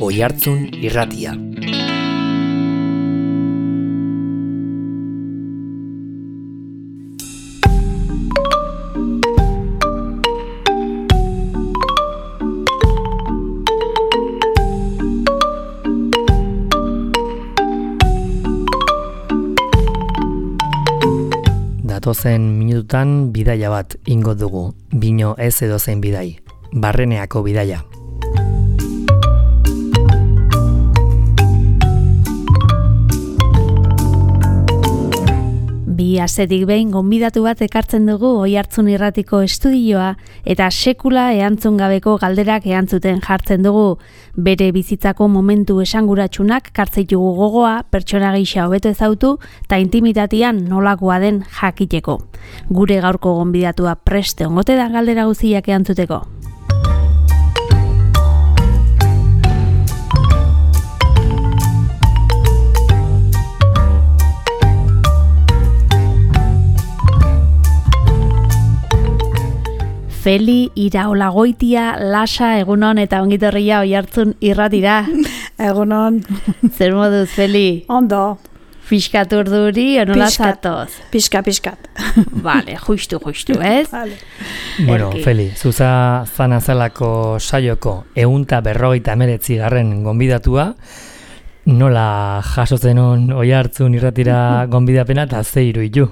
Oihartzun Irratia. Datozen minututan bidaia bat ingo dugu, bino ez edozein bidai, Barreneako bidaia. Bi astetik behin gonbidatu bat ekartzen dugu Oihartzun Irratiko estudioa eta sekula erantzun gabeko galderak erantzuten jartzen dugu. Bere bizitzako momentu esanguratsunak kartzeitugu gogoa, pertsona gisa hobeto ezautu eta intimitatean nolakoa den jakiteko. Gure gaurko gonbidatua prest egongote da galdera guztiak erantzuteko. Feli Iraolagoitia, Lasa, egunon eta ongitorria Oihartzun Irratira. Egunon. Zer moduz, Feli? Ondo. Fiskat urduri, onola zatoz? Piskat. Vale, justu, ez? Vale. Bueno, Feli, zuza zanazalako saioko 159. gonbidatua, nola jasotzen on Oihartzun Irratira gonbidapena eta ze iruditu?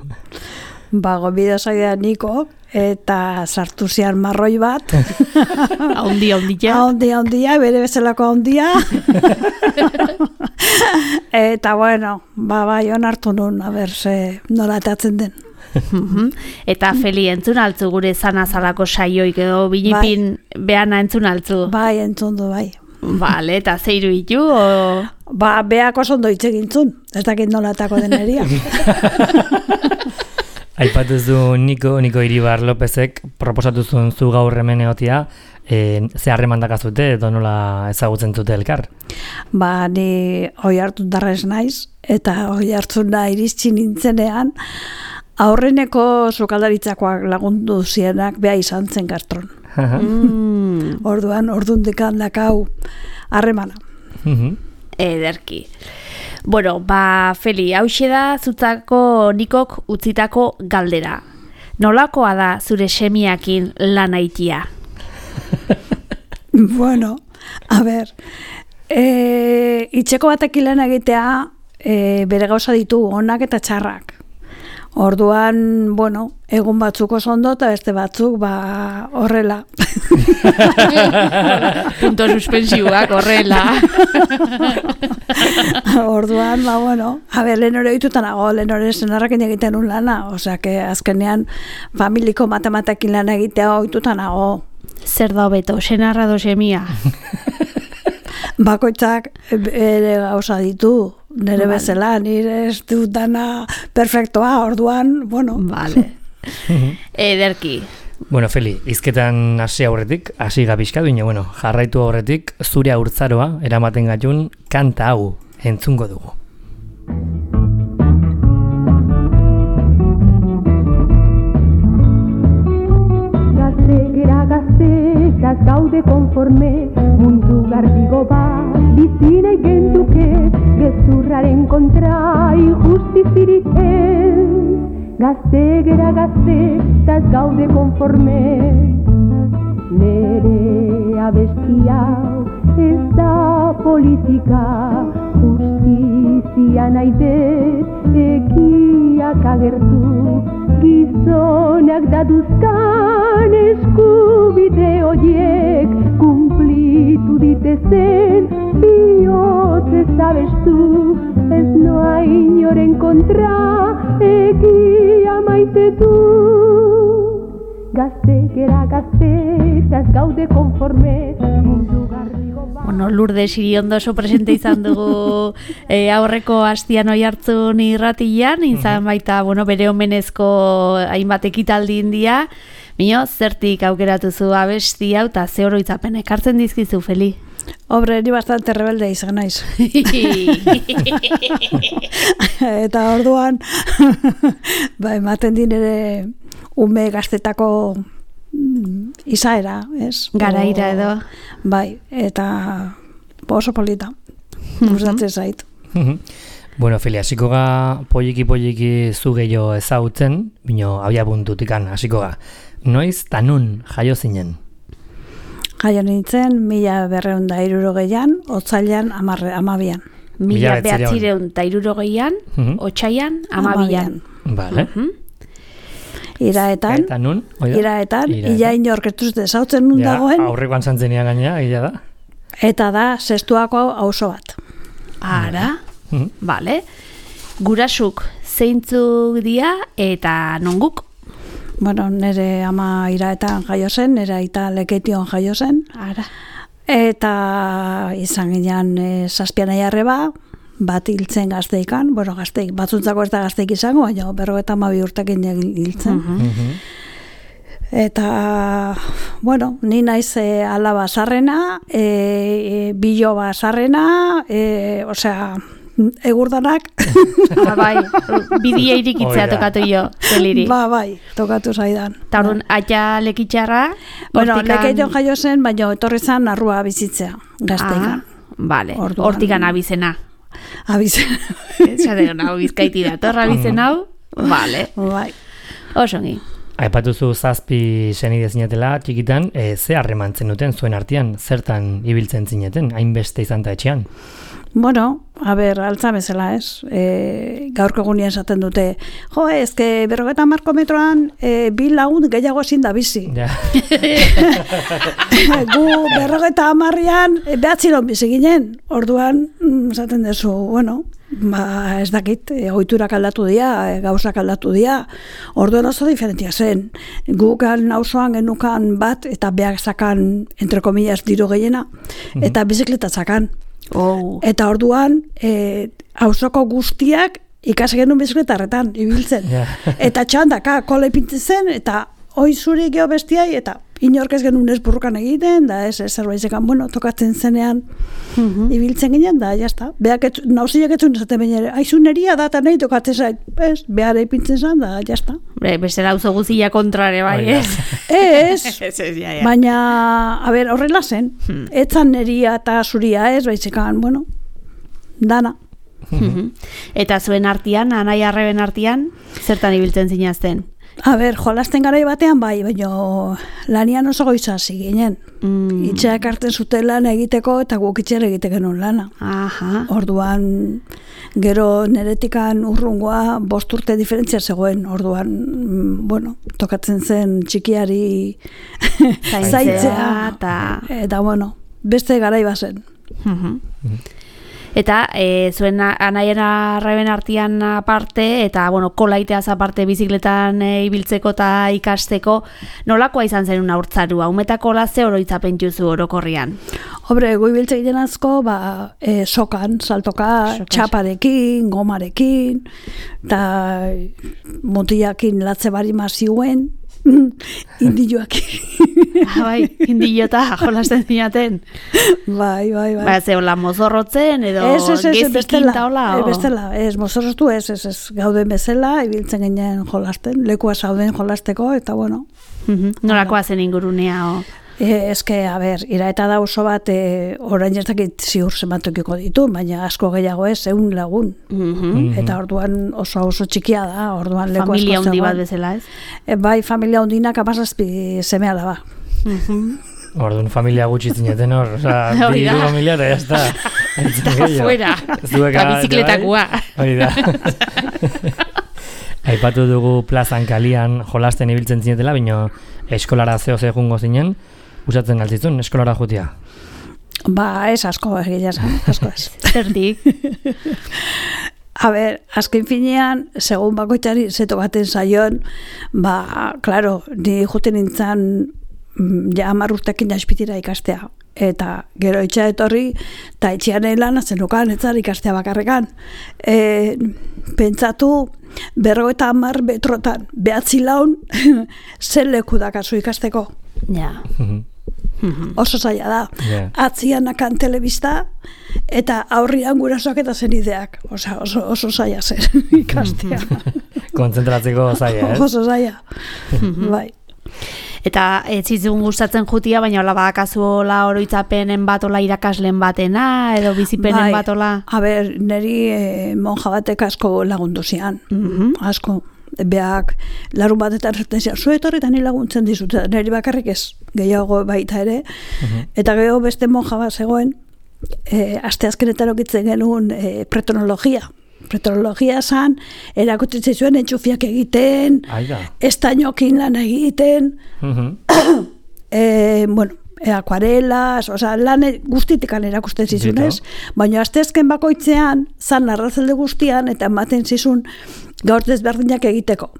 Gonbida saia niko eta sartu zian marroi bat. Handia. Handia, bere bezalako handia. Eta bueno, bai onartu nun, ze nola atatzen den. Eta Feli, entzun altzu gure zanazalako saioik edo binipin behana entzun altzu? Bai, entzun du, bai. Vale, eta zeiru itu? Beak oso ondo hitz egintzun, ez dakit nola atako deneria. Aipatuz du Niko Iribar Lopezek proposatu zuen zu gaur hemen egotia, ze harreman dakazute edo nola ezagutzen zute elkar? Ni Oihartzun darrez naiz, eta Oihartzuna iritsi nintzenean, aurreneko sukaldaritzakoak lagundu zienak beha izan zen Gastron. Ordundik dakau harremana. Ederki. Bueno, Feli, hauxe da zutzako Nikok utzitako galdera. Nolakoa da zure semiakin lan aitia? Bueno, a ber, itxeko batekin lan egitea bere gauza ditu onak eta txarrak. Orduan, bueno, egun batzuk oso ondo eta beste batzuk horrela. Punto suspensiuak horrela. Orduan, lehen hori ditutanago, lehen hori senarrakin egiten un lana, osea, azkenean familiko matematekin lan egitea ohitutanago. Zer da hobeto, senarra do semia? Bakoitzak ere gauza ditu, nire bezala, nire ez dut dana perfektoa, orduan, Vale. Ederki. Bueno, Feli, hizketan hasi aurretik, hasi gabizka duine, jarraitu aurretik, zure haurtzaroa eramaten gaitun kanta hau entzungo dugu. Gazte, gaude konforme, mundu garbigo bat, bizinei genduke, gezurraren kontra injustizirik ez. Gazte, gaude konforme, nere abestia ez da politika, justizia nahi dut ekiak agertu, gizonak daduzkan eskubide horiek kumplitu ditezen bihotzez abestu, ez noa inoren kontra egia maite du. Gazte, ez gaude konforme, mundu garrigo bat. Lourdes Iriondo oso presente izan dugu aurreko astian Oihartzun Irratian, izan baita, bere omenezko hainbat ekitaldi india. Mino, zertik aukeratu zu abesti hau eta ze oroitzapen ekartzen dizkizu, Feli? Hombre, ni bastante rebelde izan naiz. Eta orduan, ematen dinere ume gaztetako izaera, ez? Garaira edo. Bai, eta oso polita. Gustatzen zait. Bueno, Fili, hasiko ga poliki zu gehiago ezagutzen, bino abia puntutikan hasiko ga. Noiz ta nun jaio zinen? Jaio nintzen 1960an, otsailean 12an. 1960an, otsailean 12an. Vale. Iraetan, Eta nun? ia inork ez dut ezautzen nun dagoen, aurrekoan zantzenia gainea, gila da. eta da zestuako auzo bat. Ara, vale. Gurasuk zeintzuk dira eta nonguk? Bueno, nire ama Iraetan jaio zen, nire aita Lekeition jaio zen, Ara. eta izan ginean 7 arreba, bat hiltzen gazteikan, bueno, gazteik, batzuntzako ez da gazteik izango, baina 52 urtekin hiltzen. Eta, bueno, ni naiz alaba zarrena, biloba zarrena, osea, egurdanak. Bai, bidia irikitzea tokatu jo, Feliri. Bai, tokatu zaidan. Eta orduan, aita lekitxarra, Bueno, Lekeition jaio zen, baina etorri zen narrua bizitzea, gazteikan. Vale, Orduan- hortikan abizena. Abizen. Zaten, hau bizkaiti da, torra abizen hau, vale, Bai. osongi. Aipatuzu 7 senide zinetela txikitan, ze harremantzen duten zuen artean, zertan ibiltzen zineten, hainbeste izan da etxean? Bueno, a ber, altza bezala, ez? Gaurko egunien esaten dute, jo, ezke 50 metroan 2 lagun gehiago ezin da bizi. Ja. Gu 50an 9 bizi ginen, orduan, esaten duzu, bueno, ba, ez dakit, ohiturak aldatu dira, gauzak aldatu dira, orduan oso diferentia zen. Gukan auzoan genukan bat, eta behar zakan, entre comillas, diru gehiena, eta bizikleta zakan. Oh. Eta orduan, auzoko guztiak ikasi genuen bizikletarretan, ibiltzen. Ja. Eta txandaka, kola ipintzen zen, eta hoi zuri geho bestiai, eta inork ez genuen ez burrukan egiten, da ez zerbait zekan, bueno, tokatzen zenean ibiltzen ginen, da, jazta. Beak nauziak etzun esaten baina, aizuneria da, eta nahi tokatzen zait, ez, behar ipintzen zen, da, jazta. Bestela auzo guzia kontrare bai, Oida. ez? Ez, Ja. baina, a ber, horrela zen, etzan neria eta zuria ez, baitzekan, bueno, dana. Eta zuen artean, anai arreben artean, zertan ibiltzen zinazten? A ber, jolasten garai batean bai, baina lanian oso goiza hasi ginen. Itxeak hartzen zuten lan egiteko eta guk itxera egiteko genuen lana. Aha. Orduan, gero neretikan urrungoa 5 urte diferentzia zegoen. Orduan, bueno, tokatzen zen txikiari zaitzea. Eta, bueno, beste garai bazen. Eta zuen anaien arreben artean aparte, eta bueno, kolaiteaz aparte bizikletan ibiltzeko eta ikasteko, nolakoa izan zen una urtzarua? Umetako ze oroitzapen juzu orokorrian? Hombre, gu ibiltze ginen asko, ba, sokan, saltoka, txaparekin, gomarekin, eta mutiakin latze bari mazioen, indioakin. Bai, indilota jolasten zinaten. Bai. Ba, ze hola mozorrotzen, edo gezikin ta hola? Bestela, ez, mozorrotu ez, gauden bezala, ibiltzen ginen jolasten, lekua zauden jolasteko, eta bueno. Nolakoa zen ingurunea, o? Eske, a ber, Iraeta da oso bat, orain ez dakit ziur zenbatokiko ditu, baina asko gehiago ez, 100 lagun. Eta orduan oso txikia da, orduan leku asko zegoen. Familia handi bat bezala, ez? Bai, familia hundinak 17 seme alaba. Orduan familia gutxi zineten hor, oza, bi familia eta jazta. Eta fuera, eta bizikletakua. Hori da. Aipatu dugu plazan kalian jolasten ibiltzen zinetela, baina eskolara zeo jungo zinen, usatzen galtzizun, eskolara jutia. Ba, ez asko, egia esan, asko ez. Zertik? A ber, azken finean, segun bakoitzari zeto baten zaion, ba, klaro, ni juten nintzen ja 10 urtekin jaspitira ikastea. Eta gero etxea etorri, eta etxean lan zenukan, etzar ikastea bakarrekan. Pentsatu, 50 metrotan, 9 laun, zen leku dakazu ikasteko. Ja. Oso zaila da. Atzian akan telebista, eta aurrian gurasoak eta zenideak. Oso zaila zer ikastea. Kontzentratzeko zaila, ez? Oso zaila. Bai. Eta ez zitzun gustatzen jutia, baina hola badakazu hola oroitzapenen bat, hola irakasleen batena, edo bizipenen bat hola? A ber, niri monja batek asko lagundu zian, asko. Beak, larun batetan zerten zian, zuetorretan laguntzen dizut, niri bakarrik ez, gehiago baita ere, eta gero beste monja bat zegoen, asteazkenetan okitzen genuen pretronologia. Pretronologia zan, erakutzen zuen entxufiak egiten, estainokin lan egiten, bueno, akuarelas, lan guztitikan erakusten zizunez, baina asteazken bakoitzean, zan narrazelde guztian, eta ematen zizun gaur desberdinak egiteko.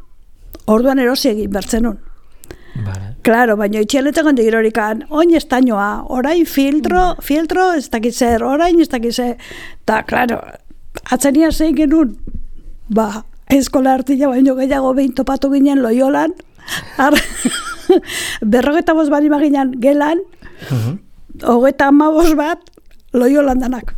Orduan erosi egin bertzenun. Claro, baina itxialetan gondi girorikan, oin estainoa, orain filtro, ez dakit zer, orain ez dakit zer, eta, claro, atzenia zein genuen, eskola artila baino gehiago behin topatu ginen Loiolan, 55 bari maginan gelan, 35 bat Loiolan danak.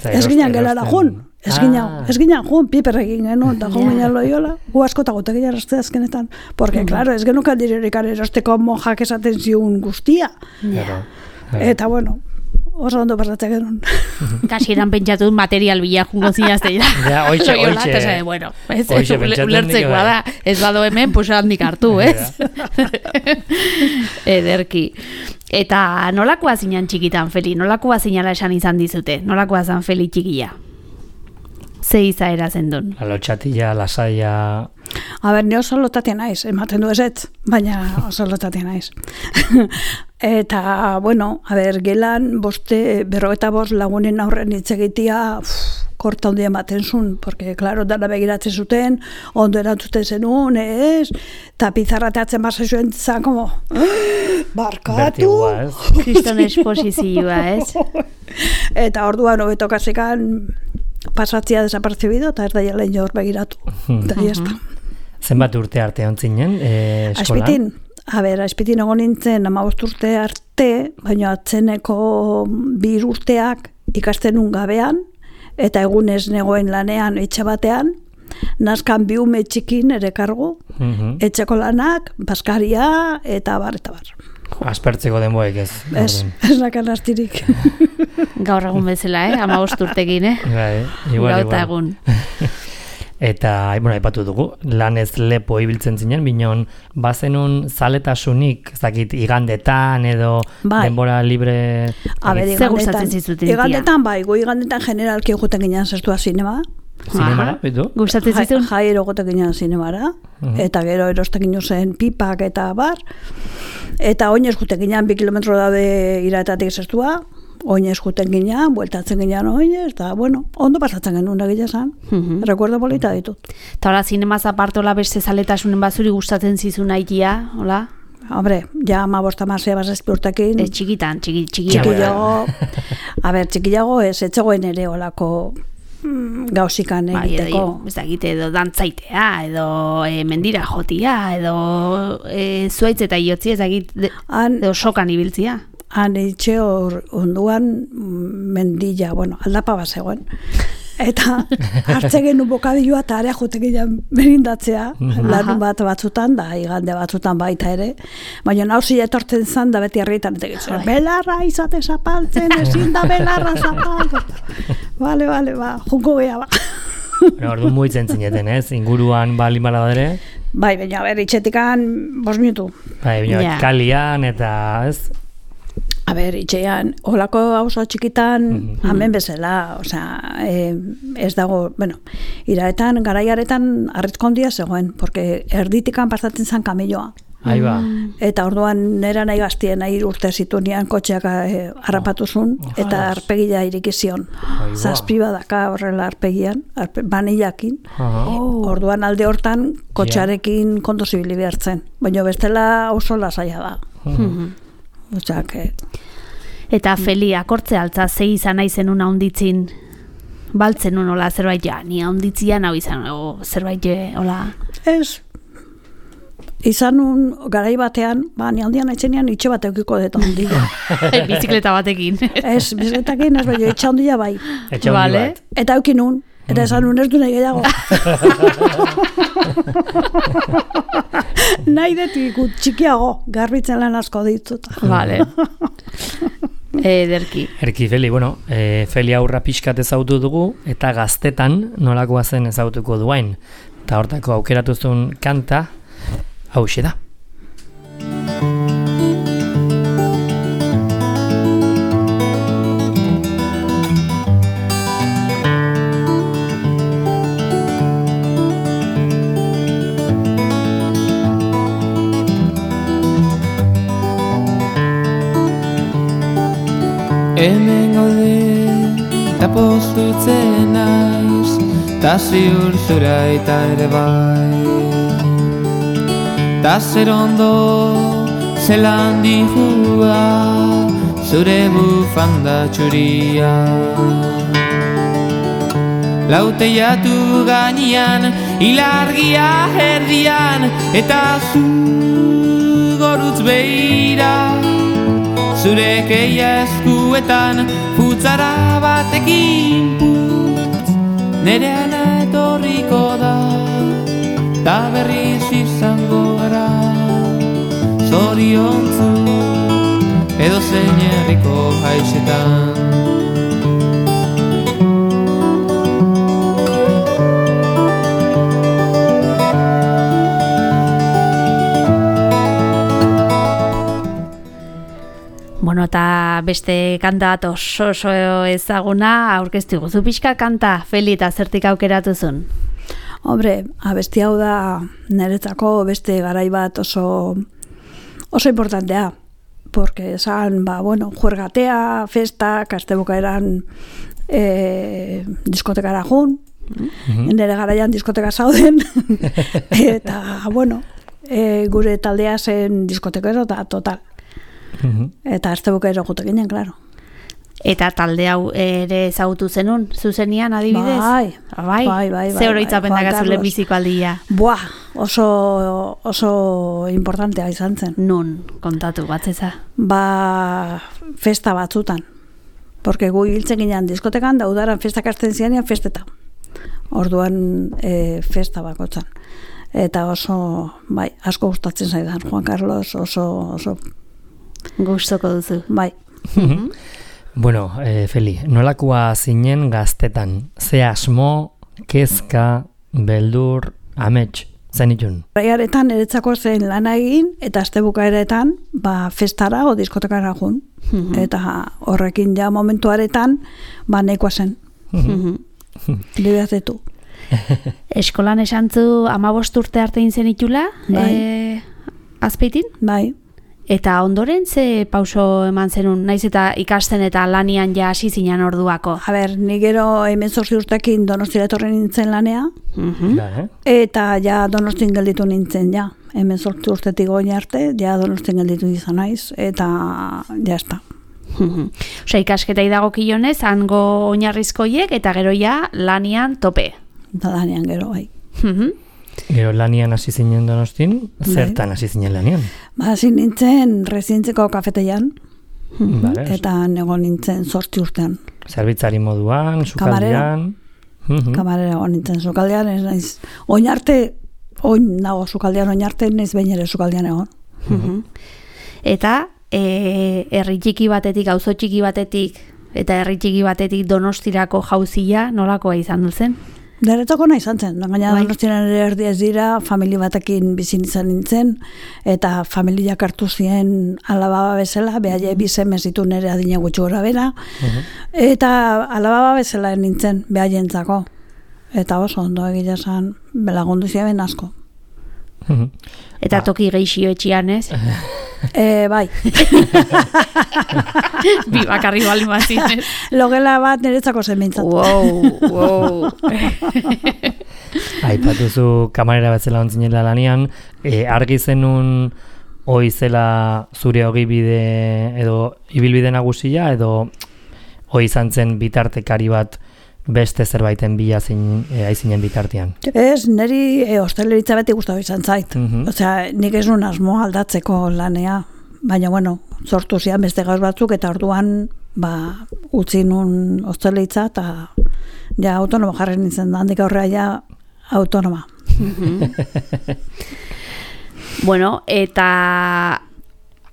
Ez ginen gelara jun. Ez ginen jun, piper egin genuen, eta jun ginen Loiola, gu askota gote ginen azkenetan. Porque, claro, ez genukan direrikan erosteko monjak esaten ziun guztia. Eta, bueno, oso ondo pasatzen genuen. Kasieran pentsatu material bila jungo zinazte dira. Ja, oitxe. Bueno, ulertzekoa da. Ez bado hemen, pues handik hartu, ez? Ederki. Eta nolakoa zinan txikitan, Feli? Nolakoa zinala esan izan dizute? Nolakoa zan Feli txikia? Ze izaera zendun? Lotxatila, lasaia... A ber, ni oso lotatia naiz, ematen du ezetz, baina oso lotatia naiz. Eta, bueno, a ber, gelan 55 lagunen aurren hitz egitea, korta handia ematen zuen, porque, claro, dana begiratzen zuten, ondo erantzuten zenuen, ez? Eta pizarrateatzen basa zuen zan, como, barkatu! Kriston esposizioa, ez? Eta orduan, hobeto kasikan, pasatzia desapercibido, eta ez da jala inor begiratu. Eta jazta. Zenbat urte arte ontzinen eskolan? Azpitin egon nintzen 15 urte arte, baina atzeneko 2 urteak ikasten gabean, eta egunez negoen lanean etxe batean, nazkan 2 ume txikin ere kargu, etxeko lanak, baskaria, eta bar. Aspertzeko denboek ez. Ez nakan astirik. Gaur egun bezala, 15 urtekin, Igual. Egun. Eta, bueno, aipatu dugu, lanez lepo ibiltzen zinen, binon, bazenun zaletasunik, zakit, igandetan edo denbora libre... Ze gustatzen zizutin? Igandetan, igandetan generalki eguten ginen zestua zinema. Zinemara, bitu? Gustatzen zizun? Jairo goten ginen zinemara, eta gero erosten ginen zen pipak eta bar, eta oinez guten ginen 2 kilometro daude iratatik zestua, oinez juten ginean, bueltatzen ginean oinez, eta, bueno, ondo pasatzen genuen egile zan. Rekuerdo polita ditut. Eta hola, zinemaz apartola beste zaletasunen bazuri gustatzen zizun haitia, hola? Hombre, ja 15 urtekin. Txikitan, txikiago. Txikiago ez etzegoen ere olako gauzikan egiteko. Ez da egite edo dantzaitea, edo mendira jotia, edo zuaitz eta iotzi ez da egite, edo sokan ibiltzia. Han itxe onduan mendilla, bueno, aldapa bat zegoen. Eta hartzen genuen bokadilloa eta area jotekidean berindatzea, larun batzutan, da igande batzutan baita ere, baina nauzi etortzen zan da beti herritan etekitzen. Belarra izate zapaltzen, ezin da belarra zapaltzen. Vale, junko geha ba. Ordu muitzen zineten, ez? Inguruan bali baladere? Bai, baina itxetikan 5 minutu. Bai, baina kalian eta, ez? Itxean, holako hauzo txikitan, hemen bezala, ez dago, bueno, iraetan, garaiaretan arrizkondia zegoen, porque erditikan pasatzen zan kamelloa. Aiba. Eta orduan nera nahi gaztien, nahi urte zitunean kotxeak harrapatuzun, eta arpegia irikizion. Zazpi badaka horrela arpegian, banillakin. Orduan alde hortan kotxearekin kondo zibili behartzen, baina bestela oso lasaia da. Eta Feli, akortze altza zei izan naizenun haunditzin baltzen hola zerbait ni haunditzian hau izan zerbait hola ez izan un garai batean ni handian etxenean itxe bat eukiko dut handia bizikleta batekin ez bizikletakin ez baina etxe handia bai vale. Eta eukin un Eta esan unertu nahi gehiago. Nahi detik txikiago, garbitzen lan asko ditut. Vale. Ederki. Erki, Feli, bueno, Feli aurra pixkat ezautu dugu, eta gaztetan nolakoa zen ezautuko duain. Eta hortako aukeratuzun kanta, hauxe da. Hemen gaude, eta pozutzen naiz, ta ziur zura eta ere bai. Ta zer ondo, zelan dihua, zure bufanda txuria. Lauteiatu gainean, ilargia erdian, eta zu gorutz behira. Zure keia eskuetan, futzara batekin putz, nereana etorriko da, ta berriz izango gara, zoriontzu, edo zein herriko haixetan. Bueno, eta beste kanta bat oso ezaguna aurkeztu guzu pixka kanta, Feli, eta zertik aukeratuzun? Hombre, abesti hau da niretzako beste garai bat oso importantea. Porque esan, bueno, juergatea, festa, kastebukaeran diskotekara jun, nire garaian diskoteka zauden, eta, bueno, gure taldea zen diskotekero eta total. Eta astebukero jute ginen, klaro. Eta talde hau ere ezagutu zenun, zuzenian adibidez? Bai. Ze oroitzapen dakazu biziko aldia? Buah, oso importantea izan zen. Nun, kontatu batzeza? Festa batzutan. Porque gu hiltzen ginen diskotekan, da udaran festak hasten zianean festeta. Orduan festa bakotzan. Eta oso, asko gustatzen zaidan, Juan Carlos, oso gustoko duzu. Bai. Bueno, Feli, nolakoa zinen gaztetan? Ze asmo, kezka, beldur, amets, zenitun? Raiaretan eretzako zen lana egin, eta astebukaeretan, festara o diskotekara jun. Eta horrekin ja momentuaretan, nahikoa zen. Libeazetu. Eskolan esantzu 15 urte arte intzen itula? Bai. Azpeitin? Bai. Eta ondoren ze pauso eman zenun, naiz eta ikasten eta lanian ja hasi zinen orduako? Ni gero 18 urtekin Donostira etorri nintzen lanea, eta ja Donostin gelditu nintzen ja. 18 urtetik goin arte, ja Donostin gelditu izan naiz, eta jazta. Osea, ikasketa idagokionez, hango oinarrizkoiek, eta gero ja lanian tope. Da lanian gero, bai. Gero lanian hasi zinen Donostin, zertan hasi zinen lanian? Hasi nintzen rezidentzeko kafeteian, eta nego nintzen 8 urtean. Zerbitzari moduan, sukaldean? Kamarera nintzen sukaldean, ez naiz. Oin nago sukaldean, oin arte naiz behin ere sukaldean egon. Eta herri txiki batetik, auzo txiki batetik, eta herri txiki batetik Donostirako jauzia nolakoa izan duzen? Deretako nahi izan zen, gaina Donostiaren ere erdi ez dira, familia batekin bizin izan nintzen, eta familiak hartu ziren alababa bezala, behaile bizeme zitu nire adina gutxu gora bera, eta alababa bezala nintzen behaientzako. Eta oso ondo egia esan, belagundu ziren asko. Eta toki geixio etxian, ez? Bai. Bi bakarri bali mazin, ez? Logela bat niretzako zen bintzat. Wow. Aipatuzu kamarera bezala ontzinela lanian, argi zenun hoi zela zure ogibide edo ibilbide nagusia, edo hoi izan zen bitartekari bat beste zerbaiten bila aizinen bitartean? Ez, niri hosteleritza beti gustatu izan zait. Osea, nik ez nun asmo aldatzeko lanea, baina, bueno, sortu zian beste gauz batzuk, eta orduan, utzi nun hosteleritza, Ja, autonomo jarri nintzen, handik aurrea ja autonoma. Bueno, eta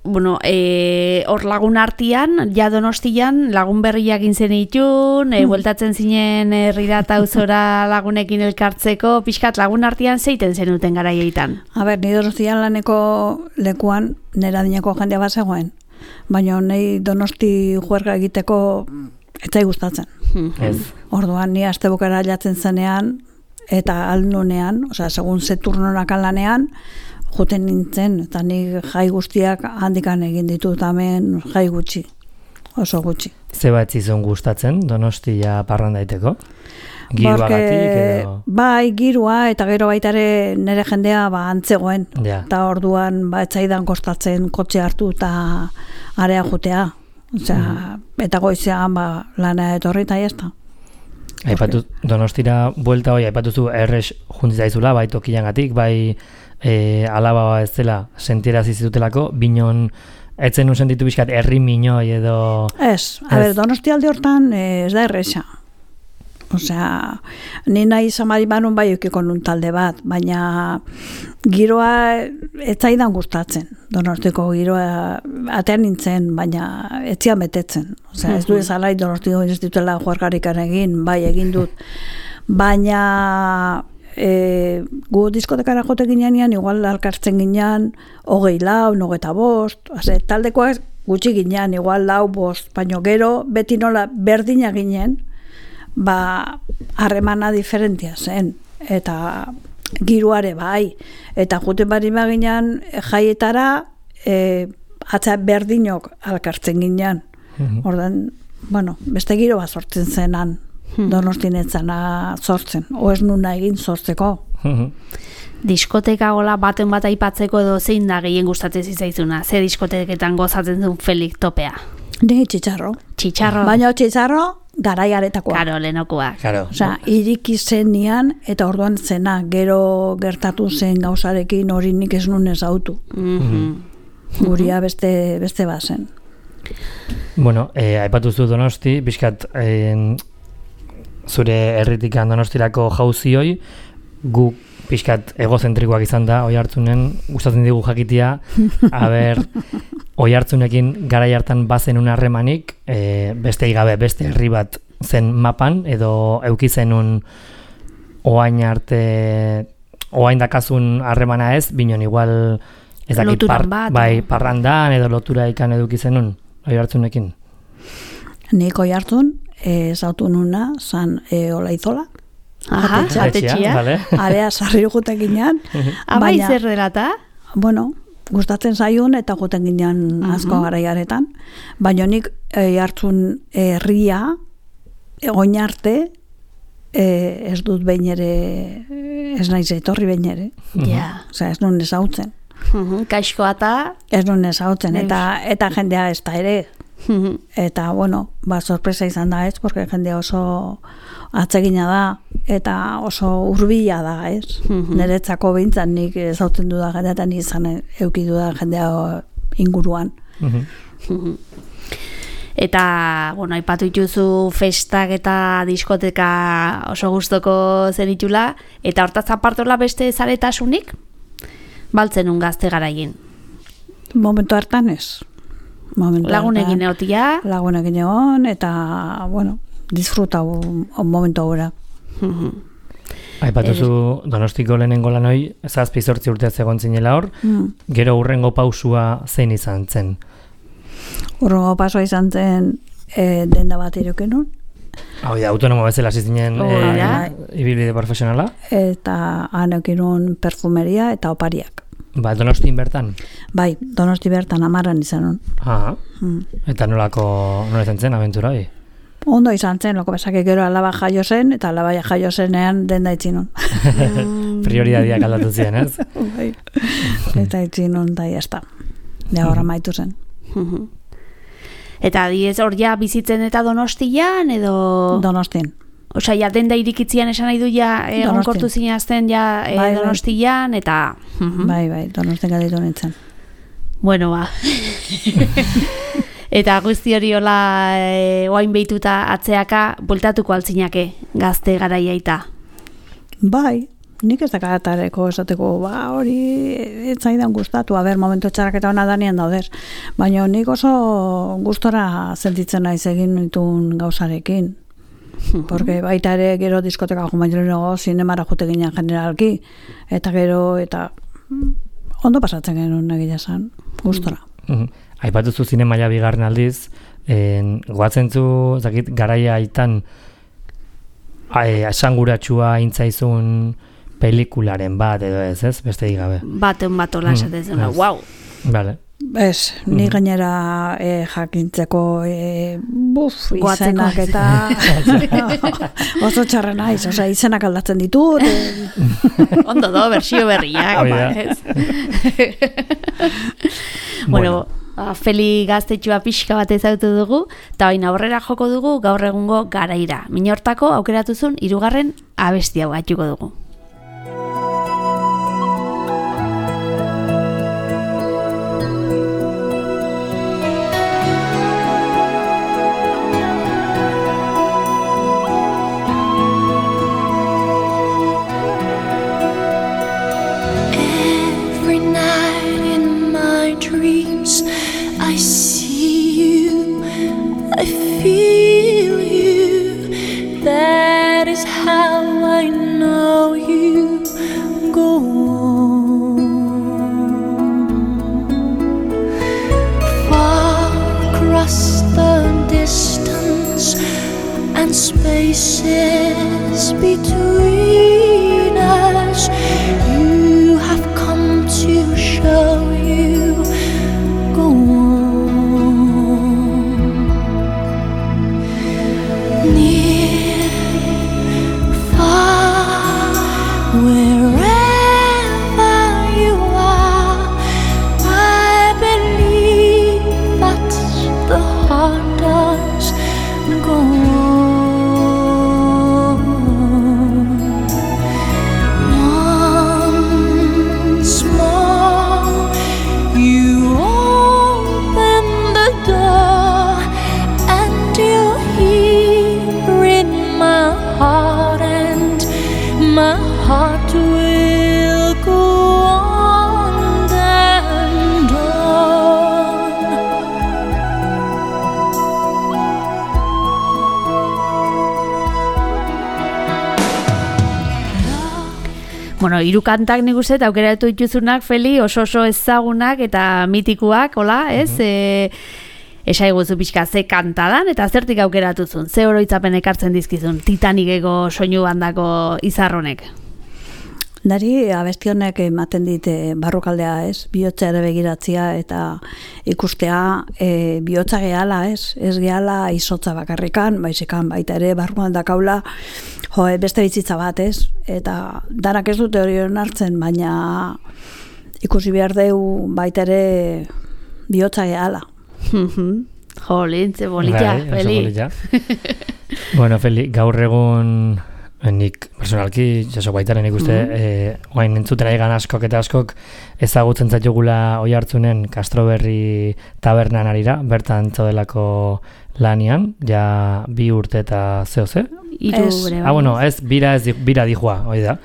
hor lagun artian, ja Donostian, lagun berriak zen itun, bueltatzen zinen herrira auzora lagunekin elkartzeko, pixkat lagun artian zeiten zenuten garaietan. A ber, ni Donostian laneko lekuan nera dinako jendea bat zegoen, baina nahi Donosti juerga egiteko etzai gustatzen. Ez. Orduan, ni astebukara jatzen zenean, eta alnunean, osea, segun ze turnonak lanean, joten nintzen, eta nik jai guztiak handikan egin ditut, hemen jai gutxi, oso gutxi. Ze bat zizun gustatzen, Donostia parrandaiteko? Giroagatik edo... Bai, girua, eta gero baita ere nire jendea antzegoen. Ja. Eta orduan etzaidan kostatzen kotxe hartu eta area jotea. Osea, eta goizean lana etorri eta jazta. Aipatu, Donostira buelta hoi, aipatuzu errex juntzaizula, bai tokiangatik, bai alaba ez dela sentiera zitutelako, binon etzen un sentitu bizkat herri minoi edo... Ez, Donosti alde hortan ez da erresa. Osea, ni nahi zamari manun bai eukiko nun talde bat, baina giroa etzaidan gustatzen. Donostiko giroa atean nintzen, baina etzian betetzen. Osea, ez du ezalai Donostiko ez ditela juargarikan egin, bai egin dut. Baina gu diskotekara jote ginean, igual alkartzen ginean, 24, 25, taldekoak gutxi ginean, igual 4, 5, baina gero beti nola berdina ginen, harremana diferentia zen, eta giruare bai, eta juten bari maginan jaietara atza berdinok alkartzen ginean. Ordan, beste giro bat sortzen zenan, Donostin etzana sortzen, ez nuna egin sortzeko. Diskoteka gola baten bat aipatzeko edo zein da gehien gustatzen zitzaizuna? Ze diskoteketan gozatzen duen Felix topea? Ni txitxarro. Txitxarro? Baina txitxarro garaiaretakoa. Karo, lehenokoa. Osea, iriki zenian eta orduan zena, gero gertatu zen gauzarekin hori nik ez nun ezautu. Guria beste bazen. Bueno, aipatuzu Donosti, bizkat zure herritikan Donostirako jauzioi, gu pixkat egozentrikoak izan da, oi hartzunen, gustatzen digu jakitia, oi hartzunekin garai hartan bazen un harremanik, beste igabe, beste herri bat zen mapan, edo euki zenun oain dakazun harremana ez, binon igual ez dakit parrandan edo lotura ikan eduki zenun, oi hartzunekin? Nik oi hartzun, zautu nuna, zan Olaizola, atetxia. Area sarri juten ginean. Bai zer delata? Bueno, gustatzen zaiun eta juten ginean asko garaiaretan. Baina nik hartzun herria, oin arte, ez dut behin ere, ez naiz etorri behin ere. Osea, ez nun ezautzen. Kaixkoa eta? Ez nun ezautzen, eta jendea ez da ere. Eta, sorpresa izan da ez, porque jendea oso atsegina da, eta oso hurbila da ez. Niretzako behintzan nik ezautzen duda jendea, eta izan euki duda jendea inguruan. Eta, aipatu dituzu festak eta diskoteka oso gustoko zenitula, eta hortaz apartola beste zaretasunik? Baltzen un gazte garaien? Momentu hartan ez. Lagunekin egotia? Lagunekin egon, eta, disfruta momentu aurra. Aipatuzu Donostiko lehenengo lanoi, 7-8 urte egon zinela hor, gero hurrengo pausua zein izan zen? Hurrengo pausua izan zen denda bat irokenun. Hau da, autonomo bezala zinen ibilbide profesionala? Eta hanekinun perfumeria eta opariak. Donostin bertan? Bai, Donosti bertan 10 izan hon. Eta nola izan zen abentura hori? Ondo izan zen, loko bezake gero alaba jaio zen, eta alaba jaio zenean denda itxin hon. Prioridadiak aldatu ziren, ez? Bai, eta itxin hon da jazta. Ja horra maitu zen. Eta diez hor ja bizitzen eta Donostian, edo... Donostin. Osea, ja denda irikitzian esan nahi du ja egonkortu zinazten ja Donostian, eta... Bai, Donostin gaditu nintzen. Bueno, Eta guzti hori hola oain behituta atzeaka bueltatuko altzinake gazte garaiaita. Bai, nik ez dakaratareko esateko, hori etzaidan gustatu, momentu txarrak eta hona danien daudez. Baina nik oso gustora sentitzen naiz egin nituen gauzarekin. Porque baita ere gero diskoteka jumailero zinemara jute ginen generalki, eta gero, eta ondo pasatzen genuen egia esan, gustora. Aipatuzu zinemaia bigarren aldiz, goatzen zu, garaia aitan esanguratsua intzaizun pelikularen bat edo ez, beste gabe. Baten bat hola esaten wow. Vale. Ez, ni gainera jakintzeko izenak eta oso txarra naiz, izenak aldatzen ditut. Ondo do, bersio berriak. Bueno, Feli gaztetxua pixka bat ezautu dugu, eta baina aurrera joko dugu gaur egungo garaira. Minortako aukeratuzun 3. abesti hau gatuko dugu. I see you, I feel you, that is how I know you. Go on, far across the distance and spaces between us, you have come to show you. Go on, near, far, wherever you are, I believe that's the heart does. Go on, once more, you open the door and you hear in my heart, and my heart will go on and on. Bueno, 3 kantak nik uste eta aukeratu dituzunak, Feli, oso ezagunak eta mitikuak, hola, ez? Esaiguzu pixka ze kantadan eta zertik aukeratuzun, ze oroitzapen ekartzen dizkizun Titaniceko soinu bandako izarronek? Nari abesti honek ematen dit barrukaldea, ez? Bihotza ere begiratzea eta ikustea bihotza gehala, ez? Ez gehala izotza bakarrikan, baizikan baita ere barruan dakaula beste bizitza bat, ez? Eta danak ez dute hori hartzen, baina ikusi behar deu baita ere bihotza gehala. Jolin, ze bolita, Feli. Bueno, Feli, gaur egun nik personalki, jaso baitaren ikuste, oain entzuten aigan askok eta askok ezagutzen zaitugula oi hartzunen Castroberri tabernan arira, bertan zaudelako lanian, ja 2 urte eta zeo-ze? Bueno, ez, bira dijoa, hoi da.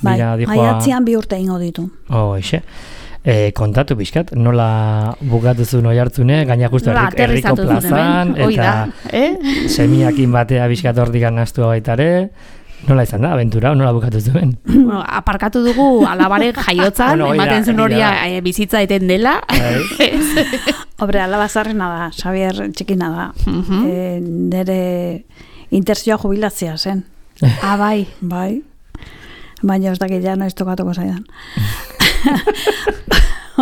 Bai, maiatzean 2 urte ingo ditu. Hoxe. Kontatu pixkat, nola bukatuzun oi hartzune, gaina justu herriko plazan, eta semiakin batea pixkat hordikan nastu baitare. Nola izan da, aventura, nola bukatu zuen? Bueno, aparkatu dugu alabaren jaiotzan, ematen zuen horia bizitza eten dela. Hombre, alaba zarrena da, Xavier txikina da. Nere interzioa jubilazia zen. Bai. Bai. Baina ez dakit ja noiz tokatuko zaidan.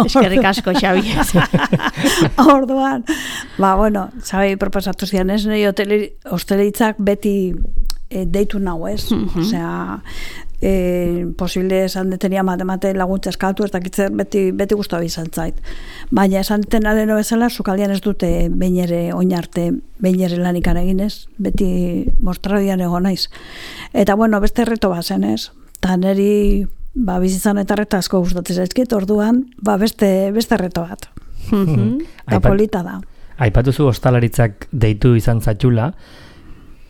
Eskerrik asko, Xabi. Orduan, bueno, Xabi proposatu zian ez, nahi hostelitzak beti deitu nahu, ez? Osea, posible esan detenia matemate laguntza eskatu, ez dakitzen beti guztua bizan zait. Baina esan detena deno bezala, sukaldian ez dute behin ere oinarte, behin ere lanikan eginez, beti mostradian egon naiz. Eta bueno, beste reto bazen, ez? Ta neri bizitzan eta reta asko gustatzen zaizkit, orduan beste reto bat. Eta polita da. Aipatuzu ostalaritzak deitu izan zaitula,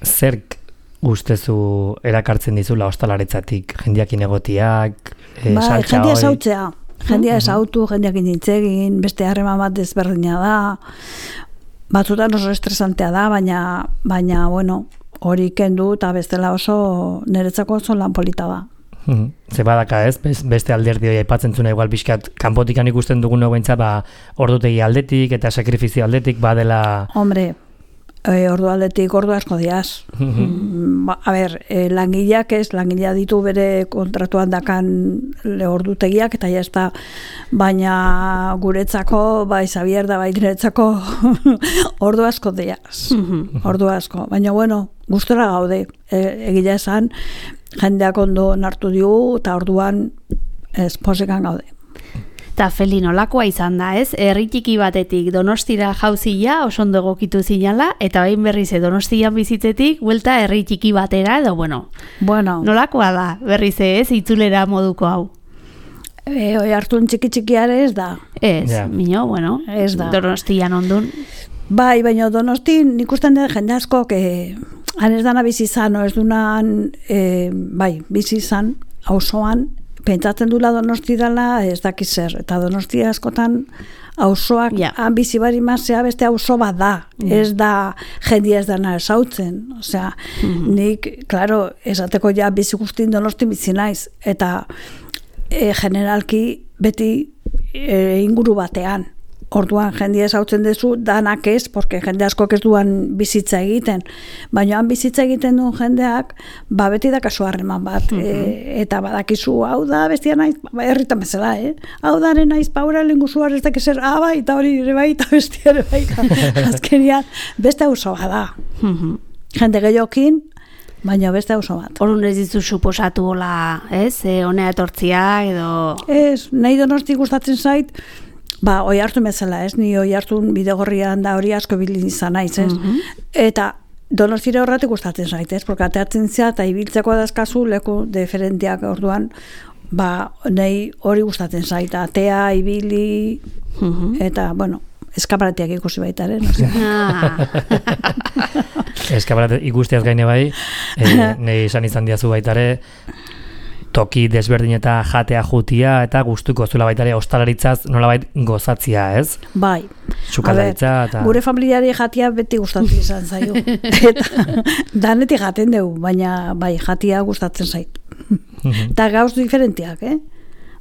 zerk ustezu erakartzen dizula ostalaritzatik, jendeakin egotiak, saltza jendia hori? zautzea. Jendia ezautu, jendeakin nintzegin, beste harreman bat desberdina da, batzutan oso estresantea da, baina bueno, hori kendu eta bestela oso niretzako oso lan polita da. Ze badaka ez, beste alderdi hori aipatzen zuna igual pixkat kanpotikan ikusten dugun behintzat ordutegi aldetik eta sakrifizio aldetik badela... Hombre, ordu aldetik ordu asko diaz. A ber, langileak langilea ditu bere kontratuan dakan ordutegiak eta jazta, baina guretzako, bai Xabier da bai niretzako ordu asko diaz. Ordu asko, baina bueno, gustora gaude, egia esan, jendeak ondo nartu digu eta orduan posikan gaude. Eta Feli nolakoa izan da, ez? Herri txiki batetik Donostira jauzia oso ondo egokitu zinala, eta bain berriz Donostian bizitzetik buelta herri txiki batera, edo bueno. Nolakoa da, berriz ez, itzulera moduko hau? Oi hartun txiki-txikiare ez da. Ez, mino, bueno, ez da. Donostian ondun. Bai, baina Donostin ikusten den jende askok han ez dana bizi izan, ez dunan bizi izan, auzoan, pentsatzen dula Donosti dela ez dakiz zer, eta Donosti askotan auzoak han bizi bari mazea beste auzo bat da, ez da jendia ez dana esautzen, osea, nik, klaro, esateko ja bizi guztin Donosti bizi naiz, eta generalki beti inguru batean. Orduan jendia esautzen dezu, danak ez, porque jende askok ez duan bizitza egiten. Baina han bizitza egiten duen jendeak, beti dakazu harreman bat. Eta badakizu, hau da, bestia naiz, herritan bezala, hau da, naiz, paura lenguzuar ez dakizer, bai, eta hori ere bai, eta bestia ere bai. Azkenian, beste auzo da. Jende gehiokin, baina beste auzo bat. Orduan ez dizu suposatu hola, ez? Honea etortzia, edo... Ez, nahi Donosti gustatzen zait, oi hartu bezala, ez? Ni oi hartu bidegorrian da hori asko bilin izan naiz, ez? Eta Donostira horretik gustatzen zait, ez? Porque ateatzen zea eta ibiltzeko dazkazu leku diferenteak orduan, nahi hori gustatzen zait, atea, ibili, eta, bueno, eskaparatiak ikusi baitaren, Eskaparat ikusteaz gaine bai, nahi izan diazu baitare, toki desberdin eta jatea jutia eta gustuko zula baitare ostalaritzaz nolabait gozatzia, ez? Bai. Sukaldaritza eta... Gure familiari jatia beti gustatzen izan zaio. Eta danetik jaten dugu, baina bai, jatia gustatzen zait. Eta gauz diferentiak,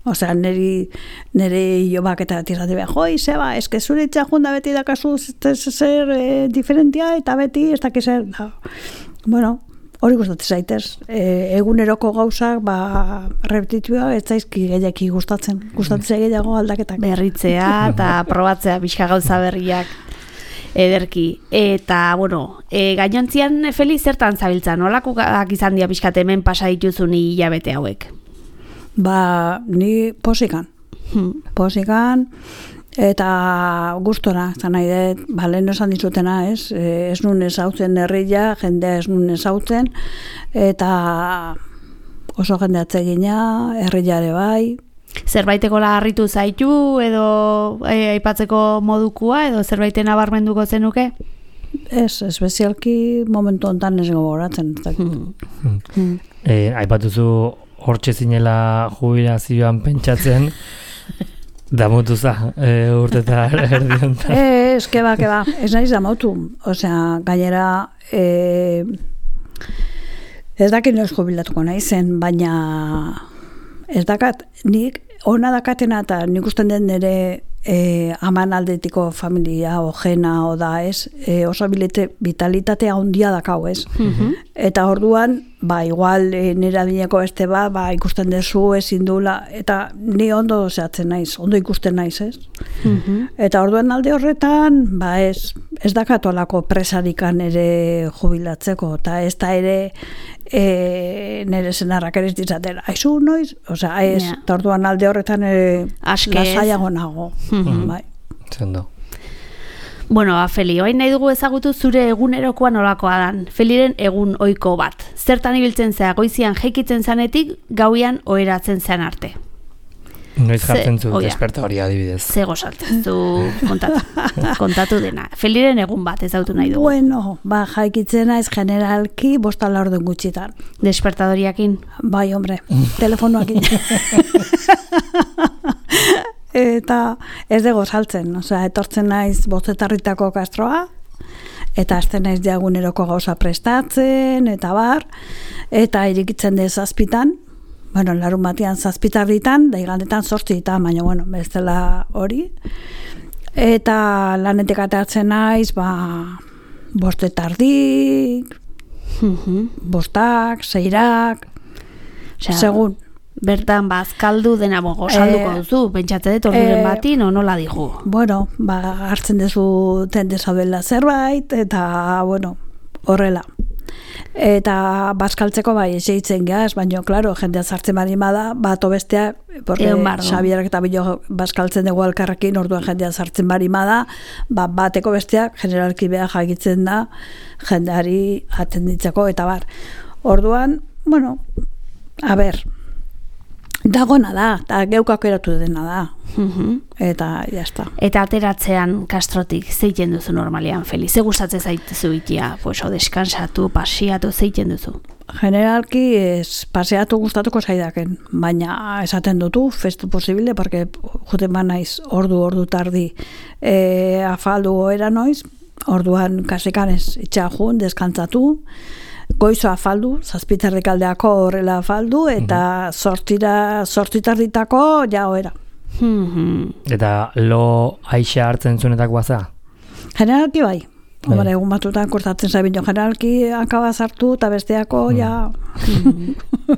Osea, nire jobak eta tirrati behar, Seba, eske zure itxajun da beti dakazu zer diferentia eta beti ez dakizer. Bueno, hori gustatzen zaitez. Eguneroko gauzak, repetitua, ez zaizki gehiaki gustatzen. Gustatzen gehiago aldaketak. Berritzea eta probatzea pixka gauza berriak ederki. Eta, bueno, gainontzian Feli zertan zabiltza? Nolakoak izan dira pixkat hemen pasa dituzun hilabete hauek? Ni posikan. Posikan, eta gustora, zan nahi dut, lehen esan dizutena, ez nun ezautzen herria, jendea ez nun ezautzen, eta oso jende atzegina, herriare bai. Zerbaiteko harritu zaitu, edo aipatzeko modukua, edo zerbaiten nabarmenduko zenuke? Ez, espezialki momentu hontan ez gogoratzen. Aipatuzu hortxe zinela jubilazioan pentsatzen, damutuza urteta erdion. Ez, keba, ez nahiz damutu. Osea, gainera, ez dakit noiz jubilatuko naizen, baina ez dakat, nik ona dakatena eta nik usten den nire aman aldetiko familia ojena da, ez? Oso vitalitatea handia dakau, ez? Eta orduan, igual nire adineko beste ikusten dezu ezin dula, eta ni ondo zehatzen naiz, ondo ikusten naiz, ez? Eta orduan alde horretan, ez dakatolako presarikan ere jubilatzeko, eta ez da ere nire zenarrak ere ez ditzaten, aizu noiz? Osea, ez, eta orduan alde horretan lasaiago nago. Bai. Zendo. Bueno, Feli, oain nahi dugu ezagutu zure egunerokoa nolakoa dan. Feliren egun ohiko bat. Zertan ibiltzen zea goizian jeikitzen zanetik, gauian oheratzen zean arte. Noiz jartzen zu despertadoria adibidez. Ze gozatzen zu kontatu dena. Feliren egun bat ez dautu nahi dugu. Bueno, jaikitzen naiz generalki 5:00 gutxitan. Despertadoriakin? Bai, hombre, telefonoakin. Eta ez dugu saltzen, etortzen naiz 5:00 kastroa, eta hasten naiz diaguneroko gauza prestatzen, eta bar, eta irikitzen dez 7:00, bueno, larun batean 7:00, da igandetan 8:00, baina, bueno, bestela hori. Eta lanetik ateratzen naiz, 5:30, 5:00, 6:00, segun. Bertan bazkaldu dena gozalduko duzu, pentsatze dut orduren bati, nola digu? Bueno, hartzen dezu tendezabela zerbait, eta, bueno, horrela. Eta bazkaltzeko bai, eseitzen gaz, baina, klaro, jendea zartzen bari bada, bat obesteak, porque Xabierak eta bilo bazkaltzen dugu alkarrekin, orduan jendea zartzen bari bada, bateko besteak, generalki beha jagitzen da, jendeari atenditzeko, eta bar. Orduan, bueno, a ber, dagona da, eta geukako eratu dena da. Eta, jazta. Eta ateratzean kastrotik zeiten duzu normalian, Feli? Ze gustatzen zaituzu itia? Deskansatu, pasiatu, zeiten duzu? Generalki paseatu gustatuko zaidaken, baina esaten dutu, festu posible, porque juten ba naiz ordu tardi afaldu goera noiz, orduan kasekanez itxajun, deskantzatu, goizo afaldu, 7:00 aldeako horrela afaldu, eta 8:00 ja oera. Eta lo aixa hartzen zunetako baza? Generalki bai. Hombre, egun batutan kortatzen zaibin jo, generalki akaba zartu eta besteako ja...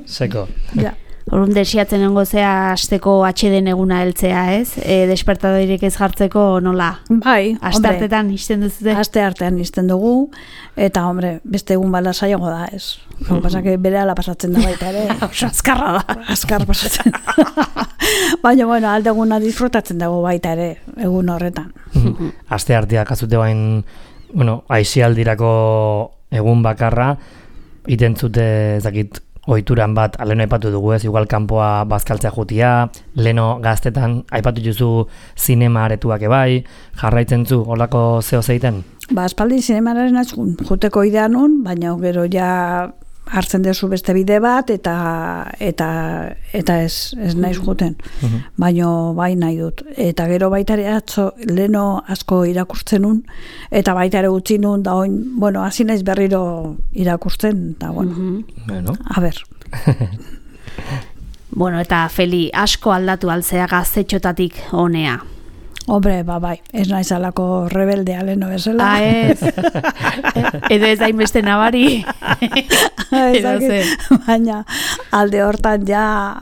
Seko. Ja. Horun desiatzen nengo zea asteko atxeden eguna heltzea, ez? Despertadorik ez jartzeko nola? Bai, aste artetan izten duzute? Aste artean izten dugu, eta, hombre, beste egun bala saiago da, ez? Pasake bere ala pasatzen da baita ere. Azkarra da. Azkar pasatzen. Baina, bueno, aldeguna disfrutatzen dugu baita ere, egun horretan. Aste arteak azute bain, bueno, aizialdirako egun bakarra, itentzute, ezakit, ohituran bat, leno aipatu dugu ez, igual kanpoa bazkaltzea jutia, leno gaztetan, aipatu duzu zinema aretuak ebai, jarraitzen zu, holako zeo zeiten? Espaldi zinemararen juteko idea nun, baina gero ja hartzen dezu beste bide bat, eta ez naiz juten. Baina bai nahi dut. Eta gero baitare atzo, leno asko irakurtzen nun, eta baitare utzi nun, da oin, bueno, hasi naiz berriro irakurtzen, eta bueno, a ber. Bueno, eta Feli, asko aldatu altzea gaztetxotatik honea. Hombre, bai, ez naiz alako rebeldea leno bezala. Ez. Edo ez hainbeste nabari. Baina, alde hortan ja,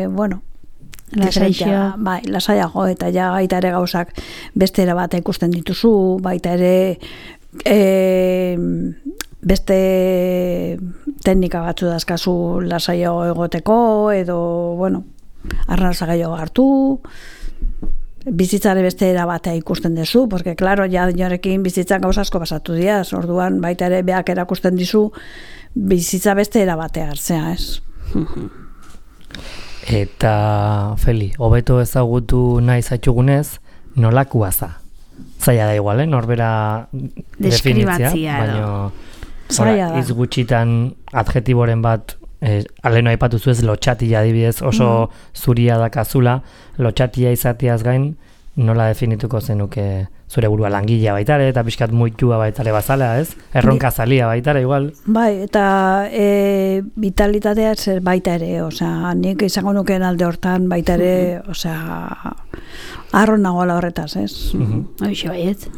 bueno, lasaiago, eta ja baita ere gauzak beste era bat ikusten dituzu, baita ere beste teknika batzu dazkazu lasaiago egoteko, edo, bueno, arnalza gehiago hartu, bizitzare beste era batea ikusten dezu, porque, claro, ja dinorekin bizitzan gauza asko pasatu diaz, orduan baita ere beak erakusten dizu bizitza beste era batea hartzea, ez? Eta, Feli, hobeto ezagutu nahi zaitxugunez, nolakua za? Zaila da igual, norbera definitzia, baina hitz gutxitan adjetiboren bat aleno aipatu zuez lotxatia adibidez oso zuria dakazula, lotxatia izatiaz gain, nola definituko zenuke zure burua langilea baitare, eta pixkat muitua baitare bazala, ez? Erronka zalia baitare, igual? Bai, eta vitalitatea zer baita ere, osea, nik izango nukeen alde hortan baita ere, osea, arro nagoela horretaz, ez? Hoxe baiet.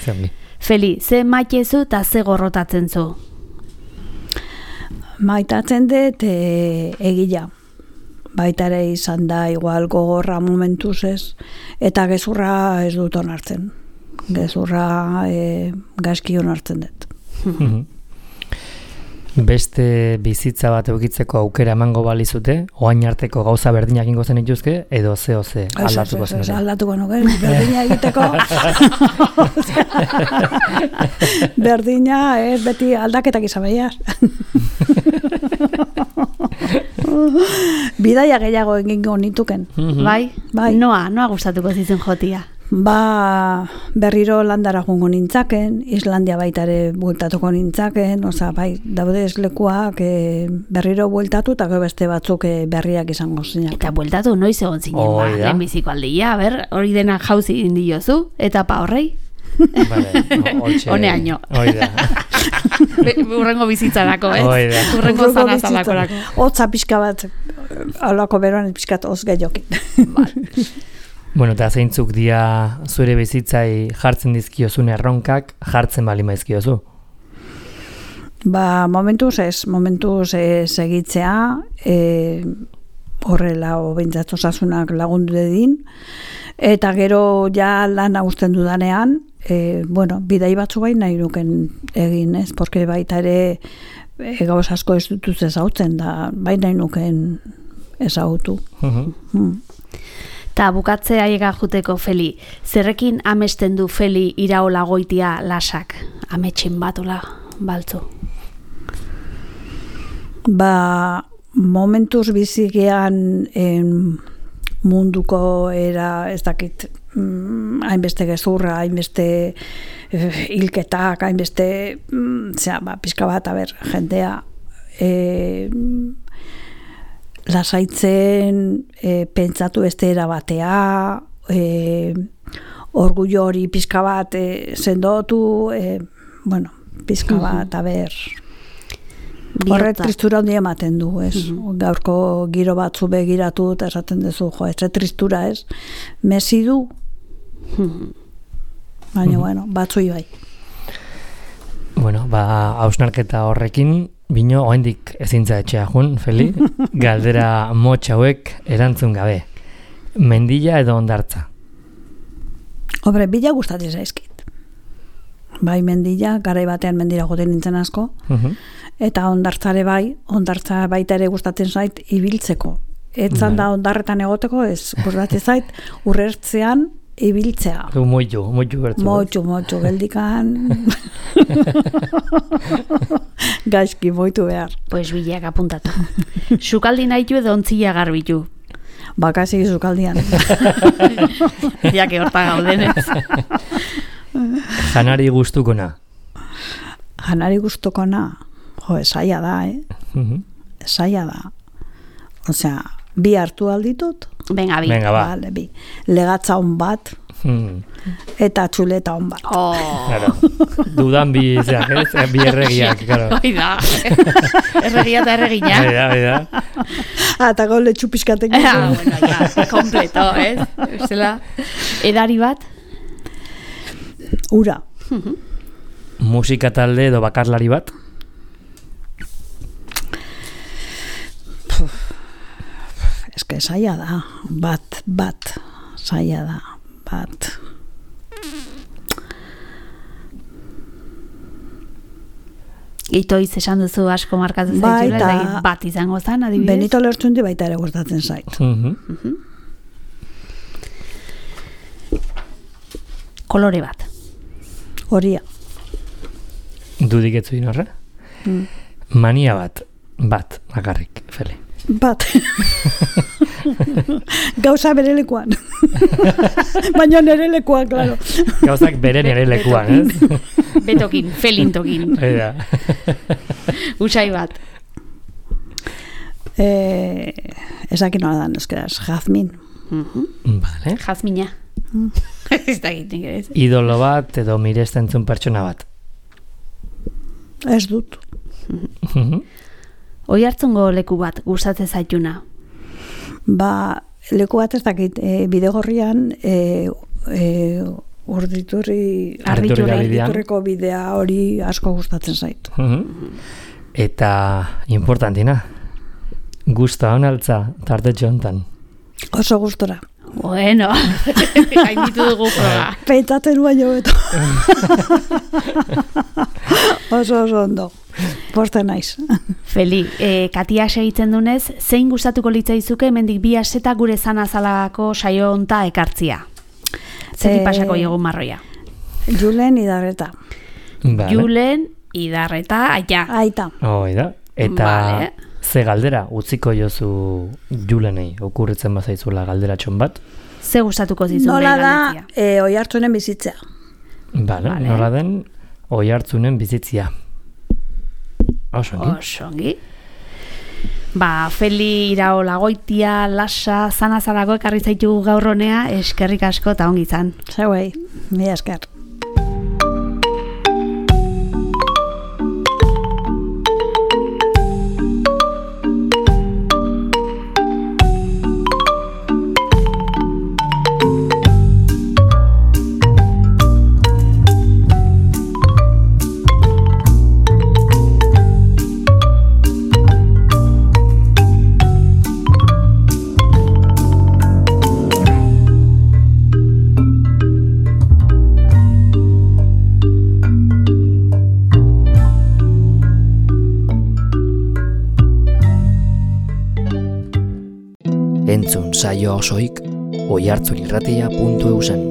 Zengi. Feli, ze maitezu eta ze gorrotatzen zu? Maitatzen dut egila. Baita ere izan da igual gogorra momentuz ez, eta gezurra ez dut onartzen. Gezurra gaizki onartzen dut. Beste bizitza bat eukitzeko aukera emango balizute, oain arteko gauza berdinak ingo zen ituzke, edo ze aldatuko zen? Aldatuko nuke, berdina egiteko. Berdina, beti aldaketak izan behiaz. Bidaia gehiago egingo nituken. Bai? Bai. Noa gustatuko zizun jotia? Ba, berriro landara joango nintzaken, Islandia baita ere bueltatuko nintzaken, bai, daude lekuak berriro bueltatu eta beste batzuk berriak izango zinak. Eta bueltatu noiz egon zinen, lehenbiziko aldia, hori dena jauzi indiozu, eta pa horrei? Honeaino. Urrengo bizitzarako, ez? Urrengo zanazalakorako. Hotza pixka bat, alako beroan pixkat hoz gehiokin. Bueno, eta zeintzuk dia zure bizitzai jartzen dizkiozun erronkak, jartzen bali maizkiozu? Ba, momentuz segitzea, horrela obeintzat osasunak lagundu dedin, eta gero ja lan usten dudanean, bidai batzu bai nahi nuken egin, ez? Porque baita ere gauz asko ez dutuz ezautzen da, bai nahi nuken ezautu. Ta bukatzea aiega juteko Feli, zerrekin amesten du Feli iraola goitia lasak, ametxin batula baltzu? Ba, momentuz bizigean munduko era, ez dakit, hainbeste gezurra, hainbeste hilketak, hainbeste, pixka bat, jendea, lasaitzen, pentsatu beste erabatea, orgullo hori pixka bat sendotu, pixka bat, horre tristura hondi ematen du, ez? Gaurko giro batzu begiratu eta esaten duzu, tristura, ez? Mesi du, baina, batzui bai. Bueno, hausnarketa horrekin, bino, oaindik ezintza etxea jun, Feli, galdera motx hauek erantzun gabe. Mendilla edo hondartza? Hombre, bila gustatzen zaizkit. Bai, mendilla, garai batean mendira joten nintzen asko, eta hondartzare bai, hondartza baita ere gustatzen zait ibiltzeko. Etzan da hondarretan egoteko, ez gustatzen zait urrertzean ibiltzea. Moitu bertu. Moitu, geldikan. Gaizki, moitu behar. Pues bilak apuntatu. Sukaldi nahitu edo ontzila garbitu? Bakasi sukaldian. Jake horta gaudenez. Janari gustukona? Esaia da, Esaia da. Osea, bi hartu alditut? Venga, Vale, bi. Legatza on bat, eta txuleta on bat. Claro. Dudan bi erregiak, claro. Oida. Erregia eta erregina. Oida. Eta gaule txupiskatek. Kompleto, ez? Edari bat? Ura. Musika talde edo bakarlari bat? Eske saia da, bat, saia da, bat. Itoiz esan duzu asko markatzen zaitula, bat izango zen, adibidez? Benito Lertxundi baita ere gustatzen zait. Kolore bat? Horia. Dudik etzu inorre? Mania bat, bakarrik, Feli. Bat. Gauza bere lekuan. Baina nere lekuan, claro. Gauzak bere nere lekuan, ez? Betokin, felintokin. Usai bat. Esakin nola dan, euskeraz, jazmin. Vale. Jazmina. Ez da egiten, ez? Idolo bat edo mirestentzun pertsona bat? Ez dut. Hoi hartzungo leku bat gustatzen zaituna? Leku bat ez dakit, bidegorrian Arditurreko bidea hori asko gustatzen zait. Eta importantina, gusta honaltza tartetxo hontan? Oso gustora. Bueno, hainitu dugu proba. Peitatzen baino beto. Oso ondo. Poste naiz. Feli, Katia segitzen dunez, zein gustatuko litzaizuke hemendik 2 asteta gure zanazalako saio honta ekartzia? Zetik pasako egun marroia? Julen Idarreta. Julen Idarreta, aita. Aita. Oida. Eta Ze galdera utziko jozu Julenei, okurritzen bazaizula galderatxon bat? Ze gustatuko zizun Nola da galdetzea? Oiartzunen bizitzea. Vale. Nola den Oiartzunen bizitzia. Osongi. Feli Iraola Goitia, Lasa, Zanazarago ekarri zaitu gaur honea, eskerrik asko eta ongi izan. Zeuei, mila esker. Entzun saio osoik oihartzunirratia.eusen.